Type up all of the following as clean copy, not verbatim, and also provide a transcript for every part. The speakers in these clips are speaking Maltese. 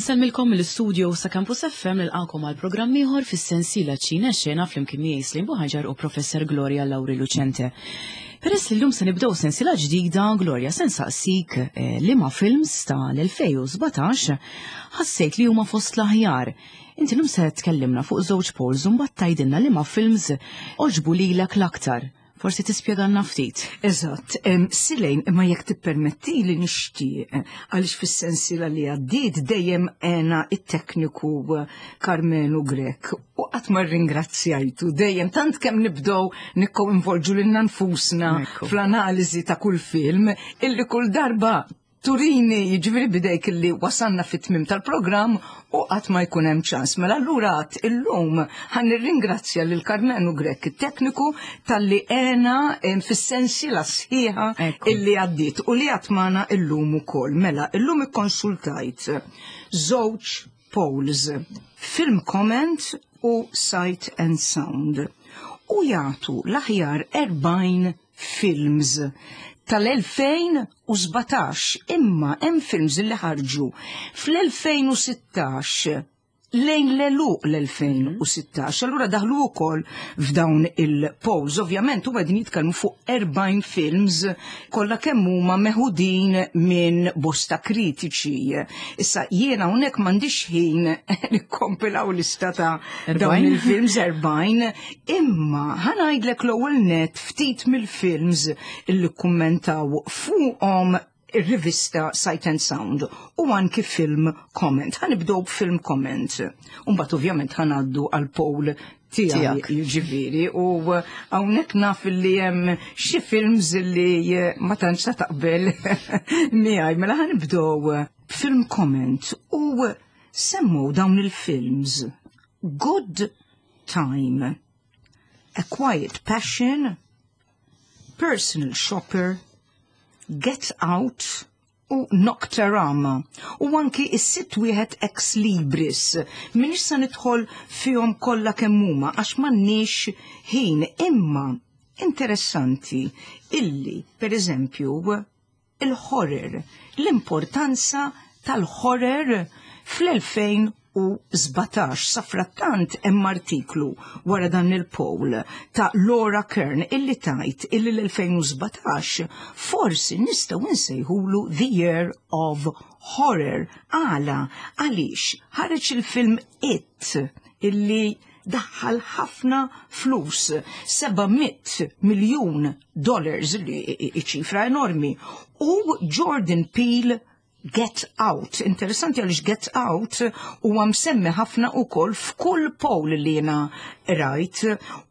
Insellmilkom mill-istudio sa' Campus FM nilqakom għal programm ieħor fis-sensiela Ċina Xena flimkien miegħi Slim Buħaġar u Professor Gloria Lauri Lucente. Peress li llum se nibdew sensiela ġdida, Gloria se nsaqsik eh, liema films tal-2017 ħassejt li huma fost l-aħjar. Inti llum se tkellimna fuq żewġ polls u mbagħad tgħidilna liema films oġbu lilek l-aktar. Forsi tispjegalna ftit. Eżatt, Silejn, imma jekk tippermetti li nixtieq, għaliex fis-sensiela li għaddiet dejjem għena it-tekniku Karmenu Grek u qatt ma rringrazzjajtu dejjem tant kemm nibdew nikkoinvolġu lilna nfusna fl-analiżi ta' kull film illi kull darba turini jiġifieri bidejk illi wasalna fit-tmim tal-programm u qatt ma jkun hemm ċans. Mela allura għad illum ħan nirringrazzja lil Karmenu Grek it-tekniku talli għena fis-sensiela sħiħa illi għaddiet u li għad magħna illum ukoll. Mela illum ikkonsultajt żewġ polls, Film Comment u Sight and Sound u jagħtu l-aħjar 40 films tal-2017 imma hemm films li ħarġu fl-2016 lejn l-eluq l-2016. Allura daħlu wkoll f'dawn il-polls. Ovvjament huma qegħdin jitkellmu fuq 40 films kollha kemm huma meħudin minn bosta kritiċi. Issa jiena hawnhekk m'għandix ħin nikkompilaw lista ta' dawn il-films 40, imma ħanajdlek l-ewwel net ftit mill-films illi kummentaw fuqhom ir-rivista Sight and Sound u anki Film Comment. Ħanibdew b'Film Comment. Umbagħad ovvjament ħanaddu għal poll tiegħek jiġifieri u hawnhekk naf li hemm xi films li ma tantx ta' taqbel miegħi. Mela ħanibdew b'Film Comment u semmu dawn il-films Good Time, A Quiet Passion, Personal Shopper, Get Out u Nocturama u anki is-sitt wieħed Ex Libris. Minix se nidħol fihom kollha kemm huma għax m'għandniex ħin imma interessanti illi per eżempju il-horror, l-importanza tal-horror fl-2017. Safrattant hemm artiklu wara dan il-poll ta' Laura Kern illi tajt illi l-2017 forsi nistgħu nsejħulu The Year of Horror. Għala, għaliex ħareġ il-film It illi daħħal ħafna flus, 700 miljun dollars li ċifra enormi. U Jordan Peele Get Out. Interessanti għaliex Get Out huwa msemmi ħafna ukoll f'kull poll li jiena rajt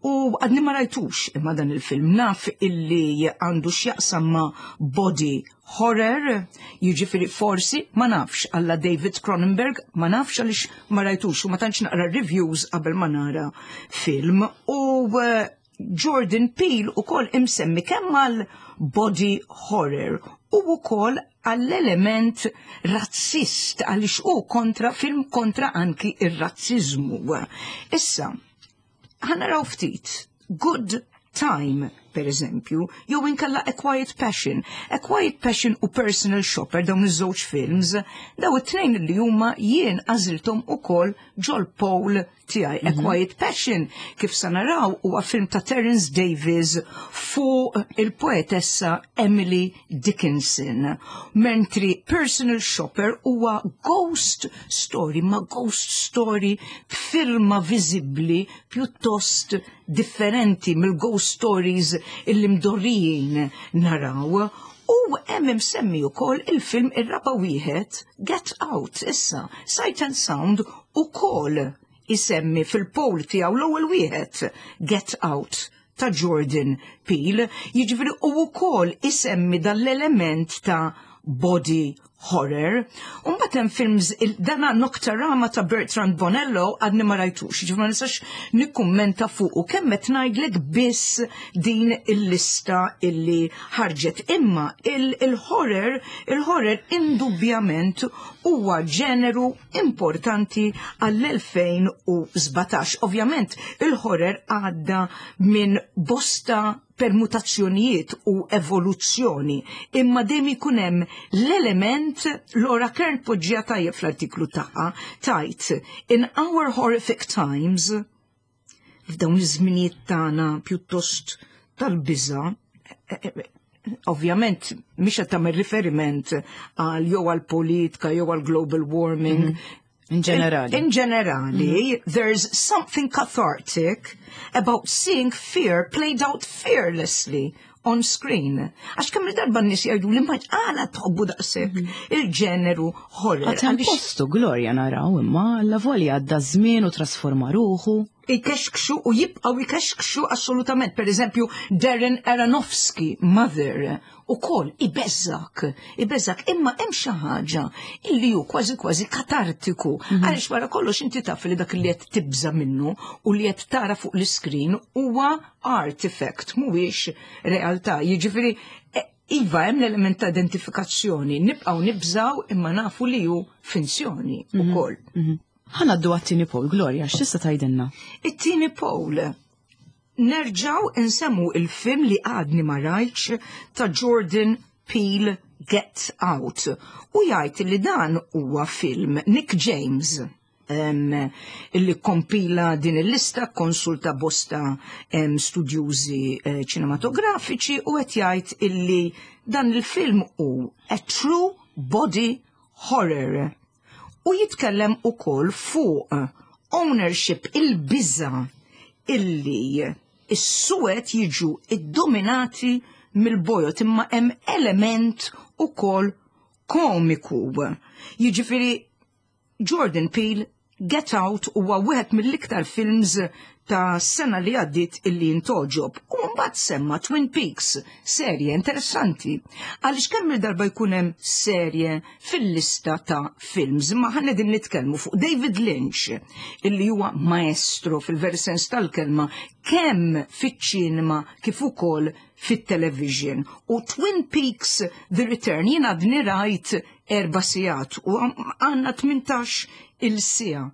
u għadni ma rajtux imma dan il-film naf illi għandu x'jaqsam ma' body horror, jiġifieri forsi ma nafx għalla David Cronenberg, ma nafx għaliex ma rajtux u ma tantx naqra reviews qabel ma nara film u eh, Jordan Peele ukoll imsemmi kemm għal body horror u wkoll għall-element razzist għaliex hu kontra film kontra anki ir-razziżmu. Issa, ħanaraw ftit Good Time, per eżempju, jew inkella A Quiet Passion. A Quiet Passion u Personal Shopper dawn iż-żewġ films, daw it-tnejn li huma jien għażilthom ukoll ġol poll tiegħi. A Quiet Passion, kif sa naraw, huwa film ta' Terence Davies fuq il-poetessa Emily Dickinson. Mentri Personal Shopper huwa ghost story, ma ghost story b'firma viżibbli pjuttost differenti mill-ghost stories illi mdorrijin naraw. U hemm imsemmi wkoll il-film ir-raba' wieħed Get Out issa, Sight and Sound ukoll isemmi fil-poll tiegħu l-ewwel wieħed Get Out ta' Jordan Peele, jiġifieri u wkoll isemmi dan l-element ta' body horror. Umbagħad hemm films dana Nocturama ta' Bertrand Bonello għadni ma rajtux, jiġifieri ma nistax nikkummenta fuqu kemm qed ngħidlek biss din il-lista illi ħarġet. Imma il-horror, il-horror indubbjament huwa ġeneru importanti għall-2017. Ovvjament il-horror għadda minn bosta Permutazzjonijiet u evoluzzjoni, imma dejjem ikun hemm l-element. Laura Kern poġġiha tajjeb fl-artiklu tagħha, tgħid: "In our horrific times", f'dawn iż-żminijiet tagħna pjuttost tal-biża', ovvjament mhix qed tagħmel riferiment għal jew għal politika jew għal global warming. In ġenerali. In ġenerali, there's something cathartic about seeing fear played out fearlessly on screen. Għax kemm darba n-nies jgħidu li ma għala tħobbu daqshekk il-ġeneru horror. Għad hemm postu, Gloria, naraw, imma la volja għadda żmien u trasforma ruħu. Ikexkxu u jibqgħu ikexkxu assolutament. Per eżempju, Darren Aronofsky, Mother, ukoll ibeżżak, ibeżżak, imma hemm xi ħaġa illi hu kważi kważi katartiku. Għaliex wara kollox inti taf li dak li qed tibża minnu u li qed tara fuq l-iskrin huwa artifact, mhuwiex realtà. Jiġifieri, iva, hemm l-element ta' identifikazzjoni, nibqgħu nibżaw imma nafu li hu finzjoni ukoll. Ħa ngħaddu għat-tieni poll, Gloria, x'tista' tgħidilna? It-tieni poll, nerġaw insemmu il-film li għadni ma rajtx ta' Jordan Peele, Get Out. U jgħid li dan huwa film Nick James illi kompila din il-lista, konsulta bosta studjużi ċinematografiċi u qed jgħid illi dan il-film hu a true body horror. U jitkellem ukoll fuq ownership, il-biża illi is-suwed jiġu iddominati mill-bojod, imma hemm element ukoll komiku. Jiġifieri Jordan Peele, Get Out huwa wieħed mill-iktar films ta' sena li għaddit illi ntogħġob. U mbagħad semma Twin Peaks, serje interessanti. Għaliex kemm il-darba jkun hemm serje fil-lista ta' films, ma ħa din nitkellmu fuq David Lynch, illi huwa maestro fil-veri sens tal-kelma kemm fiċ-ċinema kif ukoll fit-television. U Twin Peaks The Return jien għadni rajt 4 sigħat u għandna 18 il-siegħa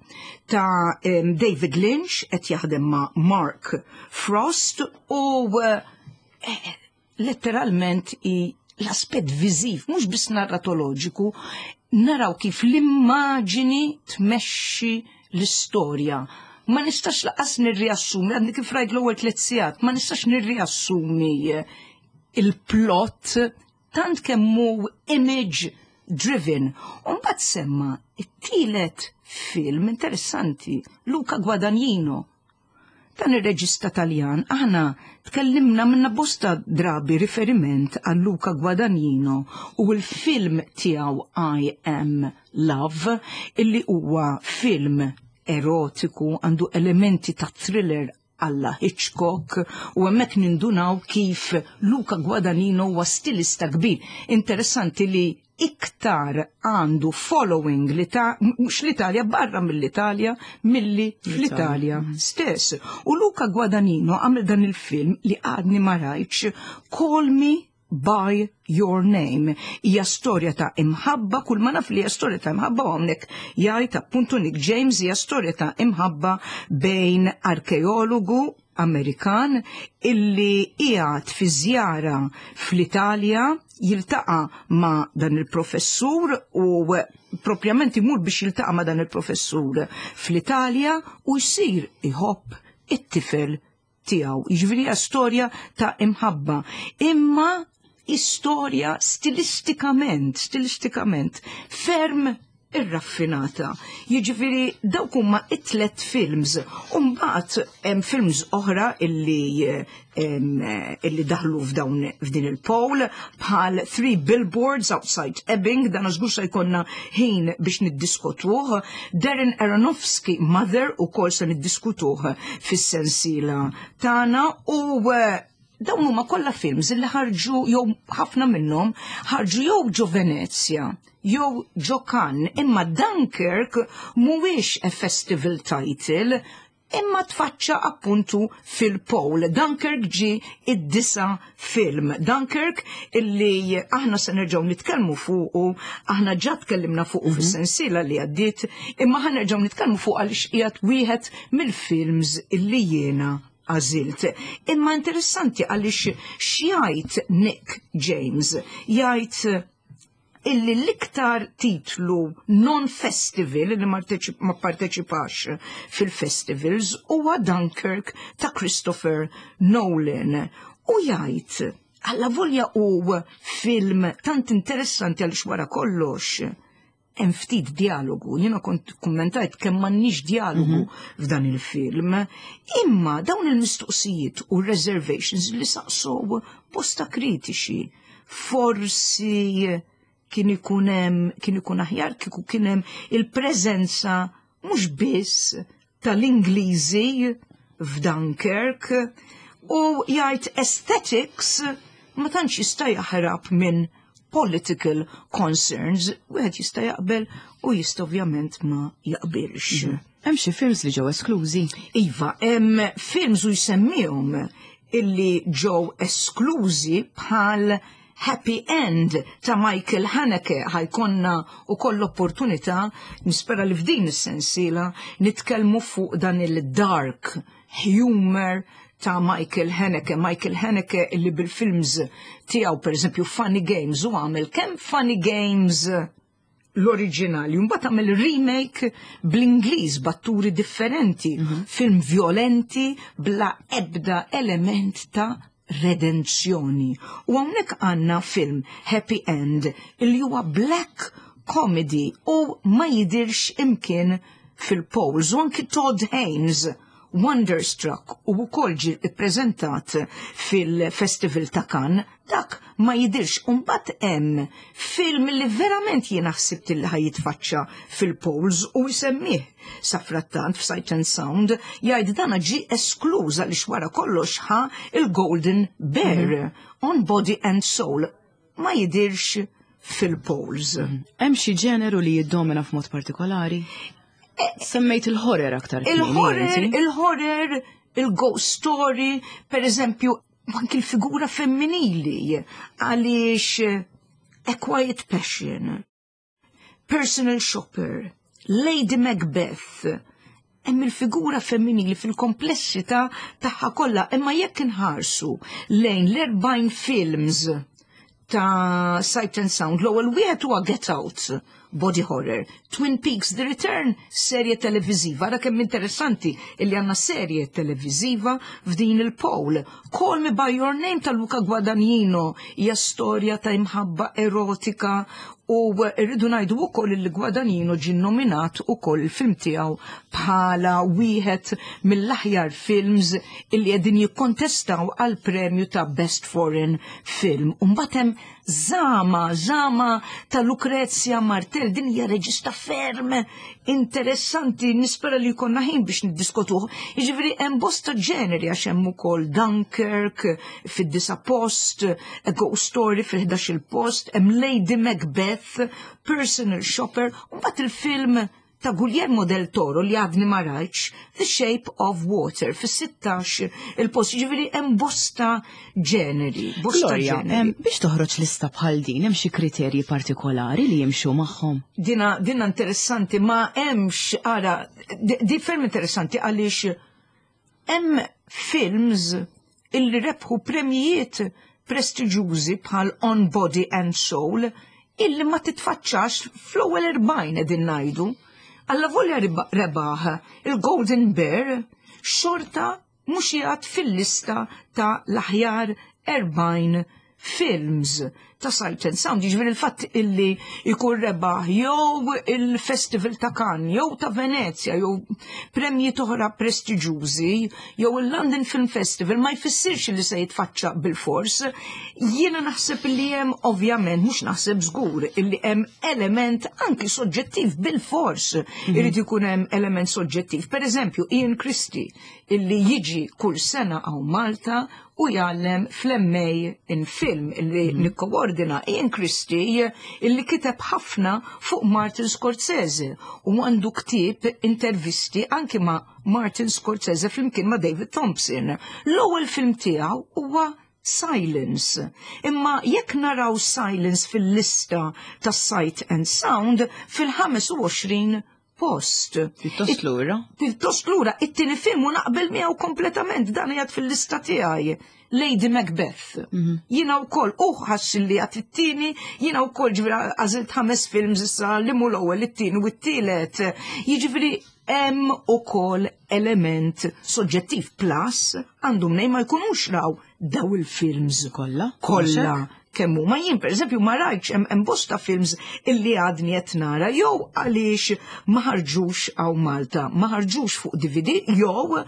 ta' David Lynch qed jaħdem ma' Mark Frost u letteralment i l-aspett viżiv, mhux biss narratoloġiku, naraw kif l-immaġini tmexxi l-istorja. Ma nistax lanqas nirriassumi, għadni kif rajt l-ewwel 3 sigħat, ma nistax nirriassumi il-plot tant kemm hu image driven. U mbagħad semma it-tielet film interessanti, Luca Guadagnino. Dan ir-reġista Taljan, aħna tkellimna minna bosta drabi riferiment għal Luca Guadagnino u l-film tiegħu I Am Love, illi huwa film erotiku, għandu elementi ta' thriller alla Hitchcock, u hemmhekk nindunaw kif Luca Guadagnino huwa stilista kbir. Interessanti li iktar għandu following li ta' mhux l-Italja, barra mill-Italja milli fl-Italja stess. U Luca Guadagnino għamel dan il-film li għadni ma rajtx, Call Me by Your Name. Hija storja ta' imħabba, kull ma naf li hija storja ta' imħabba, u hawnhekk jgħid appuntu Nick James hija storja ta' imħabba bejn arkeologu Amerikan illi qiegħed fi żjara fl-Italja, jiltaqa' ma' dan il-professur u propjament imur biex jiltaqa' ma' dan il-professur fl-Italja u jsir iħobb it-tifel tiegħu. Jiġifieri hija storja ta' imħabba. Imma istorja stilistikament ferm irraffinata. Jiġifieri dawk huma it-tlet films. U mbagħad hemm films oħra illi daħlu f'dawn f'din il-poll bħal Three Billboards Outside Ebbing, dan żgur se jkollna ħin biex niddiskutuh. Darren Aronofsky, Mother, ukoll se niddiskutuh fis-sensiela tagħna u dawn huma kollha films illi ħarġu jew ħafna minnhom ħarġu jew ġo Venezia jew ġo Cannes, imma Dunkirk mhuwiex a festival title imma tfaċċa appuntu fil-poll. Dunkirk ġi id-disa film. Dunkirk illi aħna se nerġgħu nitkellmu fuqu, aħna ġa tkellimna fuqu fis-sensiela li għaddiet, imma ħa nerġgħu nitkellmu fuq għaliex qiegħed wieħed mill-films illi jiena għażilt. Imma interessanti għaliex x'jgħid Nick James? Jgħid illi l-iktar titlu non-festival li ma parteċipax fil-festivals huwa Dunkirk ta' Christopher Nolan. U jgħid, alla volja u film tant interessanti għaliex wara kollox hemm ftit dialogu, jiena kont kummentajt kemm m'għandniex dialogu f'dan il-film, imma dawn il-mistoqsijiet u reservations li saqsow bosta kritiċi, forsi kien ikun hemm kien ikun aħjar kieku kien hemm il-preżenza mhux biss tal-Ingliżi f'Dunkirk u jgħid aesthetics ma tantx jista' jaħrab minn political concerns, wieħed jista' jaqbel u jista' ovvjament ma jaqbilx. Hemm xi films li ġew esklużi? Iva, hemm films u jsemmihom illi ġew esklużi bħal Happy End ta' Michael Haneke. Ħa jkollna wkoll l-opportunità, nispera li f'din is-sensiela nitkellmu fuq dan il-dark humor ta' Michael Haneke. Michael Haneke illi bil-films tiegħu, pereżempju Funny Games, u għamel kemm Funny Games l-oriġinali, mbagħad għamel remake bl-Ingliż b'atturi differenti, film violenti bla ebda element ta' redenzjoni. U hawnhekk għandna film Happy End li huwa black comedy u ma jidirx imkien fil-polls. U anki Todd Haynes Wonderstruck u wkoll ġie ppreżentat fil-Festival ta' Cannes, dak ma jidirx. U mbagħad hemm film li verament jiena ħsibt li ħa jitfaċċa fil-polls u jsemmih safrattant f'Sight and Sound, jgħid dana ġie eskluż għaliex wara kollox ħa il-Golden Bear, On Body and Soul, ma jidirx fil-polls. Hemm xi ġeneru li jiddomina f'mod partikolari? Semmejt il-horror aktar. Il-horror, il-horror, il-ghost story, per eżempju, anki l-figura femminili, għaliex A Quiet Passion, Personal Shopper, Lady Macbeth, hemm il-figura femminili fil-komplessità tagħha kollha, imma jekk inħarsu lejn l-40 films ta' Sight and Sound, l-ewwel wieħed huwa Get Out, body horror, Twin Peaks The Return, serje televiżiva. Ara kemm interessanti illi għandna serje televiżiva f'din il-poll. Call Me By Your Name ta' Luca Guadagnino hija storja ta' imħabba erotika u rridu ngħidu wkoll li Guadagnino ġie nominat ukoll il-film tiegħu bħala wieħed mill-aħjar films illi qegħdin jikkontestaw għal premju ta' Best Foreign Film. U mbagħad hemm Zama, Zama ta' Lucrezia Martel, din hija reġista ferm interessanti, nispera li jkollna ħin biex niddiskutuh. Jiġifieri hemm bosta ġeneri għax hemm ukoll Dunkirk fid-disa post, A Ghost Story fil-11 post, hemm Lady Macbeth, Personal Shopper, u mbagħad il-film ta' Guillermo del Toro li għadni ma rajtx, The Shape of Water, fis-16 il-post, ġifieri hemm bosta ġeneri, bosta Gloria, ġeneri. Biex toħroġ lista bħal din, hemm xi kriterji partikolari li jimxu magħhom? Dina interessanti, ma hemmx, ara, di ferm interessanti għaliex hemm films illi rebħu premjijiet prestiġjużi bħal On Body and Soul illi ma titfaċċax fl-ewwel 40 qegħdin ngħidu. Alla volja rebaħ il-Golden Bear, xorta mhux jgħad fil-lista ta' l-aħjar 40 films ta' Sight and Sound. Jiġifieri il-fatt illi jkun rebaħ jew il-Festival ta' Cannes, jew ta' Venezia, jew premji oħra prestiġjużi, jew il-London Film Festival ma jfissirx li se jitfaċċa bil-fors. Jiena naħseb li hemm ovvjament, mhux naħseb, żgur, illi hemm element anki soġġettiv bil-fors. Irid ikun hemm element soġġettiv. Per eżempju, Ian Christie illi jiġi kull sena hawn Malta u jgħallem fl-MA in Film illi nikkoordina. Ian Christie illi kiteb ħafna fuq Martin Scorsese u għandu ktieb intervisti anki ma' Martin Scorsese flimkien ma' David Thompson. L-ewwel film tiegħu huwa Silence. Imma jekk naraw Silence fil-lista ta' Sight and Sound fil-25. post. Pjuttost lura. Pjuttost lura, it-tieni film u naqbel miegħu kompletament dan qiegħed fil-lista tiegħi. Lady Macbeth. Mhm. Jiena wkoll u ħass li għat it-tieni, jiena wkoll ġifieri għażilt ħames films issa li mhu l-ewwel it-tieni u t-tielet. Jiġifieri hemm ukoll element soġġettiv plus għandu mnej ma jkunux raw daw il-films kollha. Kollha kemm huma jien pereżempju ma rajtx hemm bosta films illi għadni qed nara jew għaliex ma ħarġux hawn Malta, ma ħarġux fuq DVD jew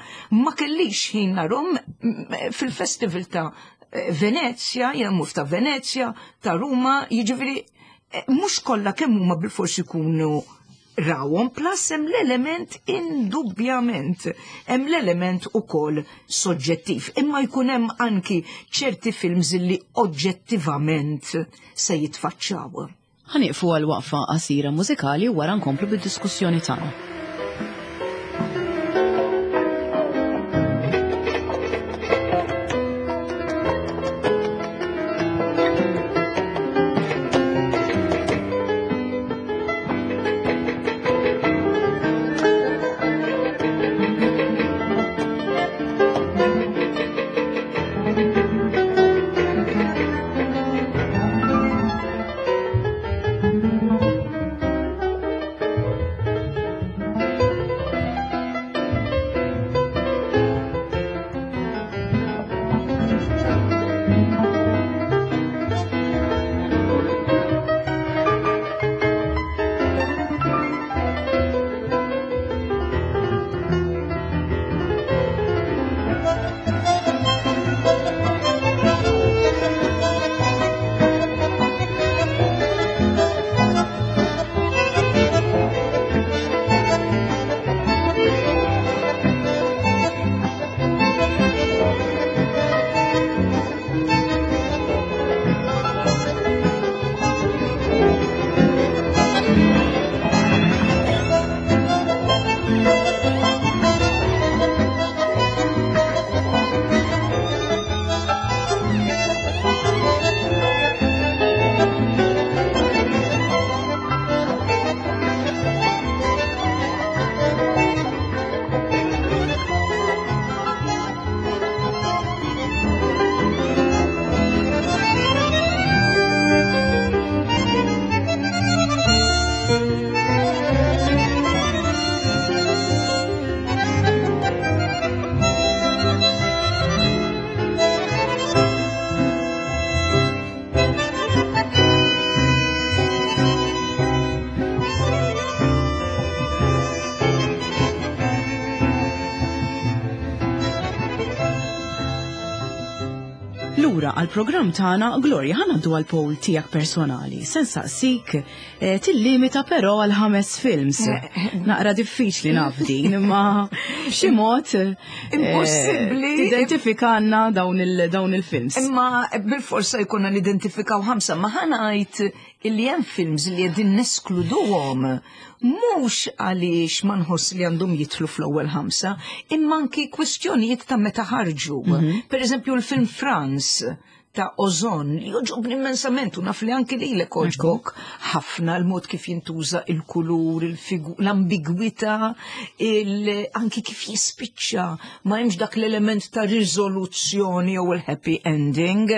ma kellix ħin narhom fil-festival ta' Venezja, jien mur ta' Venezja, ta' Ruma, jiġifieri eh, mhux kollha kemm huma bilfors ikunu rawhom plus hemm l-element indubbjament hemm l-element ukoll soġġettiv. Imma jkun hemm anki ċerti films li oġġettivament se jitfaċċaw. Ħa nieqfu għal waqfa qasira mużikali u wara nkomplu bid-diskussjoni tagħna. Lura għal-programm tagħna Gloria ħa ngħaddu għal poll tiegħek personali. Se nsaqsik eh, tillimita però għal ħames films. Eh, eh, Naqra diffiċli naf din, imma b'xi mod Impossibbli. Tidentifikanna dawn il-films. Imma bil-forsa jkunna nidentifikaw ħamsa, ma ħa ngħid illi hemm films li qegħdin neskluduhom mhux għaliex ma nħoss li għandhom jidħlu fl-ewwel ħamsa, imma anki kwistjonijiet ta' meta ħarġu. Mhm. Per eżempju l-film Franz ta' Ozon li joġobni immensament u naf li anki lilek oġbok ħafna l-mod kif jintuża il-kulur, l-ambigwità, anki kif jispiċċa ma hemmx dak l-element ta' riżoluzzjoni jew il-happy ending.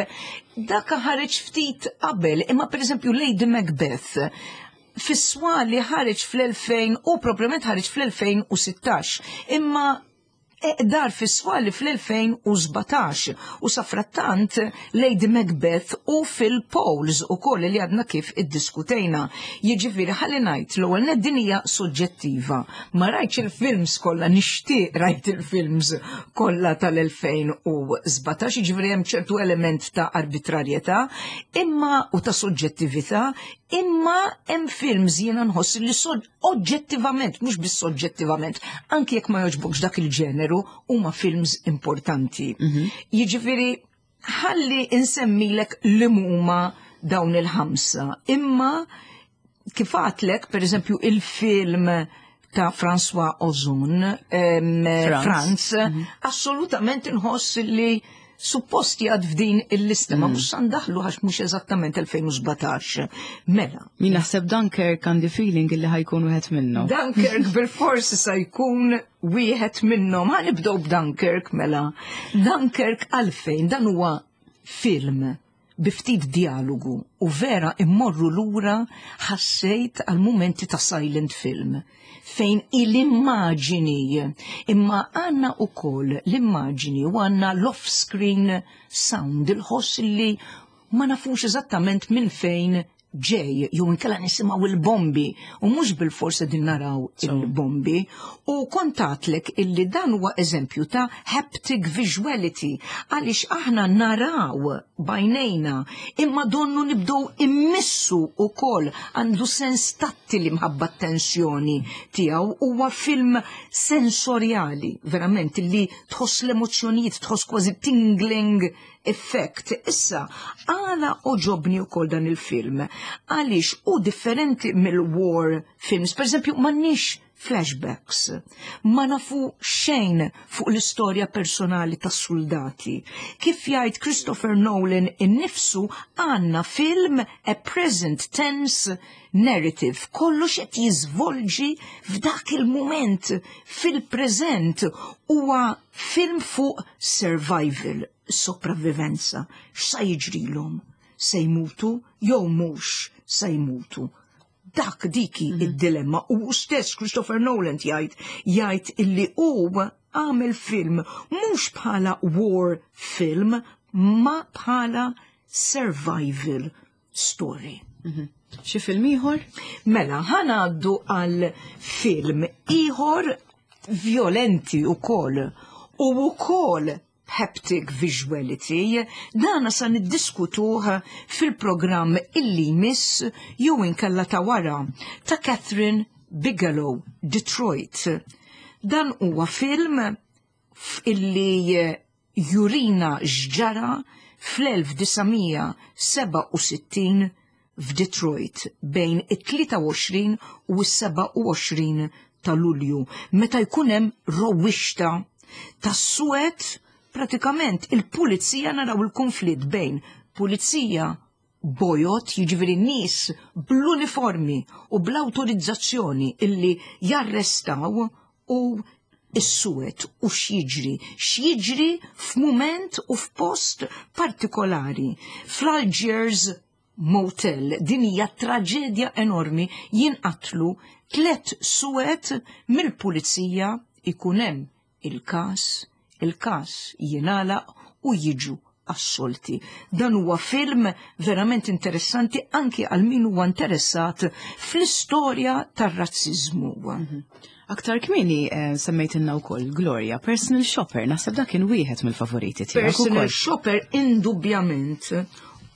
Dak ħareġ ftit qabel, imma pereżempju Lady Macbeth fis-swali ħareġ fl-2000 u proprjament ħareġ fl-2016. Imma dar fis-swali fl-2017 u safrattant Lady Macbeth u fil-polls u koll li għadna kif iddiskutejna. Jiġifieri ħalli ngħid l-ewwel nett din hija soġġettiva. Ma rajtx il-films kollha nixtieq rajt il-films kollha tal-2017, jiġifieri hemm ċertu element ta' arbitrarjetà imma u ta' soġġettività, imma hemm films jiena nħoss li oġġettivament, mhux biss soġġettivament, anki jekk ma jogħġbokx dak il-ġeneru, huma films importanti. Mhm. Jiġifieri ħalli insemmilek li huma dawn il-ħamsa, imma kif għatlek, per eżempju, il-film ta' François Ozon, Franz, mm -hmm. assolutament nħoss li Suppost jgħad f'din il-lista, ma mhux sandaħlu għax mhux eżattament 2017. Mela. Min naħseb Dunkirk għandi feeling illi ħajkun wieħed minnhom. Dunkirk bil-forsi sa jkun wieħed minnhom. Ħa nibdew b'Dunkirk mela. Dunkirk għalfejn dan huwa film bi ftit dialogu u vera immorru lura ħassejt għal mumenti ta' silent film fejn il-immaġini imma għanna u koll l-immaġini u għanna l-off-screen sound, il-ħoss li ma nafux eżattament minn fejn ġej, jew inkella nisimgħu il-bombi u mhux bil-forsa din naraw il-bombi. U kontatlek illi dan huwa eżempju ta' haptic visuality għaliex aħna naraw b'għajnejna imma donnu nibdew immissu ukoll għandu sens tattili mħabba tensjoni tiegħu. Huwa film sensorjali verament li tħoss l-emozzjonijiet, tħoss kważi tingling effect. Issa, għala għoġobni u dan il-film, għalix u differenti mill-war films, per esempio, m'għandniex flashbacks, ma nafu xejn fuq l-istorja personali tas soldati. Kif jgħid Christopher Nolan innifsu, għandna film a present tense narrative, kollox qed jiżvolġi f'dak il-moment, fil-preżent, huwa film fuq survival, sopravvivenza, x'sa jiġrilhom? Se jmutu jew mhux se jmutu? Dak diki id-dilemma u stess Christopher Nolan jgħid illi hu għamel film mhux bħala war film ma bħala survival story. Xi film ieħor? Mela, ħa ngħaddu għal film ieħor violenti ukoll u wkoll haptic visuality, dana sa niddiskutuh fil-programm illi jmiss jew inkella ta' wara ta' Kathryn Bigelow, Detroit. Dan huwa film illi jurina x'ġara fl-1967 f'Detroit bejn it-23 u s-27 ta' Lulju, meta jkun hemm rowwixta tas-suwed. Pratikament il-pulizija, naraw il-konflitt bejn pulizija bojod, jiġifieri nies bl-uniformi u bl-awtorizzazzjoni illi jarrestaw, u is-suwed u x'jiġri, x'jiġri f'mument u f'post partikolari. Fl-Algiers Motel, din hija traġedja enormi, jinqatlu tlet suwed mill-pulizija, ikun hemm il-każ, il-każ jingħalaq u jiġu assolti. Dan huwa film verament interessanti anki għal min huwa interessat fl-istorja tar-razzizmu. Aktar kmieni semmejtilna wkoll, Gloria, Personal Shopper, naħseb dak kien wieħed mill-favoriti tiegħek Personal ukoll. Shopper indubjament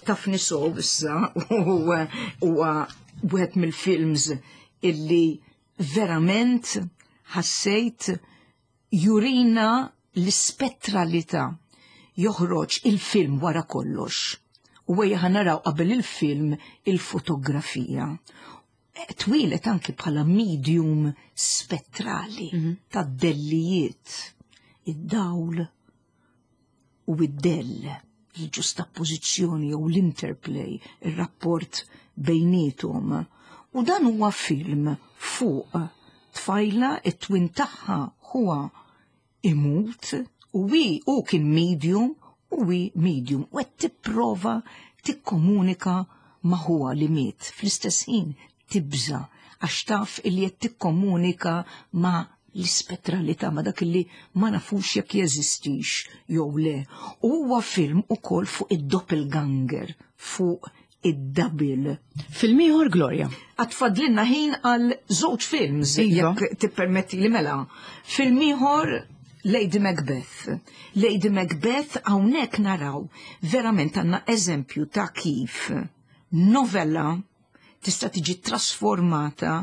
taf nisow issa huwa wieħed mill-films illi verament ħassejt jurina l-ispettralità. Joħroġ il-film wara kollox. U ejja naraw qabel il-film il-fotografija. Twieled anki bħala medium spettrali ta' dellijiet, id-dawl u id-dell, il-ġustappożizzjoni jew l-interplay, il-rapport bejniethom. U dan huwa film fuq tfajla, it-twin tagħha huwa imut u wi u kien medium u wi medium u qed tipprova tikkomunika ma' ħuha li miet. Fl-istess ħin tibża għax taf illi qed tikkomunika ma' l-ispettralità, ma' dak illi ma nafux jekk jeżistix jew le. U huwa film ukoll fuq id-doppelganger, fuq id-double. Film ieħor, Gloria? Għad fadlilna ħin għal żewġ films, jekk tippermetti li mela. Film ieħor, Lady Macbeth. Lady Macbeth, hawnhekk naraw verament għandna eżempju ta' kif novella tista' tiġi trasformata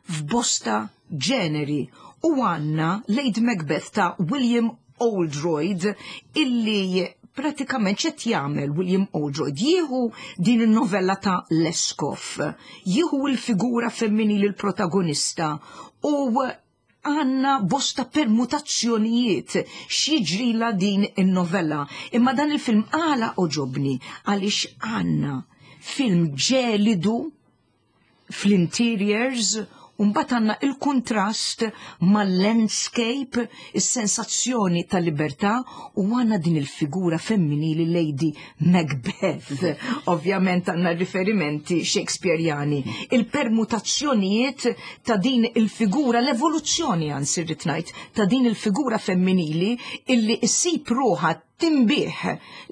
f'bosta ġeneri u għandna Lady Macbeth ta' William Oldroyd illi pratikament x'qed jagħmel William Oldroyd? Jieħu din in-novella ta' Leskov, jieħu l-figura femminili, l-protagonista u Għandna bosta permutazzjonijiet x'jiġrilha din in-novella. Imma dan il-film għala għoġobni għaliex għandna film ġelidu fl-interiors u mbagħad għandna il-kuntrast mal-landscape, is-sensazzjoni ta' libertà u għandna din il-figura femminili Lady Macbeth. Ovvjament għandna riferimenti Shakespeareani. Il-permutazzjonijiet ta' din il-figura, l-evoluzzjoni anzi rrid ngħid, ta' din il-figura femminili illi issib ruħha tinbih,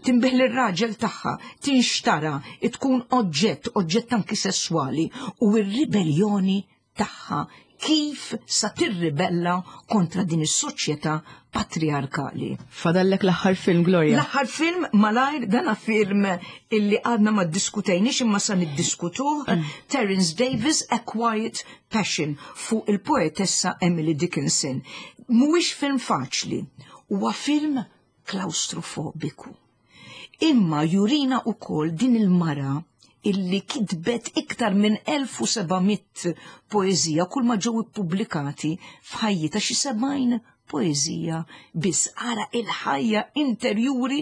tinbih lir-raġel tagħha, tinxtara, tkun oġġett, oġġett anki sesswali u r-ribelljoni tagħha kif sa tirribella kontra din is-soċjetà patriarkali. Fadallek l-aħħar film, Gloria. L-aħħar film malajr dana film illi għadna ma ddiskutejniex imma sa niddiskutuh, Terence Davies A Quiet Passion fuq il-poetessa Emily Dickinson. Mhuwiex film faċli, huwa film klaustrofobiku. Imma jurina wkoll din il-mara illi kitbet iktar minn 1700 poeżija kull ma ġew ippubblikati f'ħajjitha xi 70 poeżija biss. Ara il-ħajja interjuri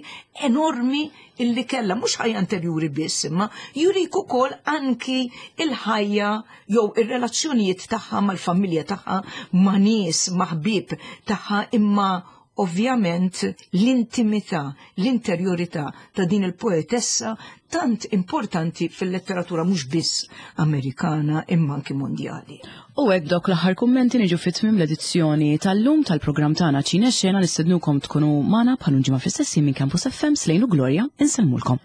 enormi illi kellha, mhux ħajja interjuri biss, imma jurik ukoll anki il-ħajja jew ir-relazzjonijiet tagħha mal-familja tagħha, ma' nies, ma' ħbieb tagħha, imma ovvjament l-intimità, l-interjorità ta' din il-poetessa tant importanti fil-letteratura mhux biss Amerikana imma anki mondjali. U hekk dawk l-aħħar kummenti niġu fi tmiem l-edizzjoni tal-lum tal-programm tagħna Ċine Xena nistednukom tkunu magħna bħal ġimgħa fl-istess minn Campus FM Slejn u Gloria insellmulkom.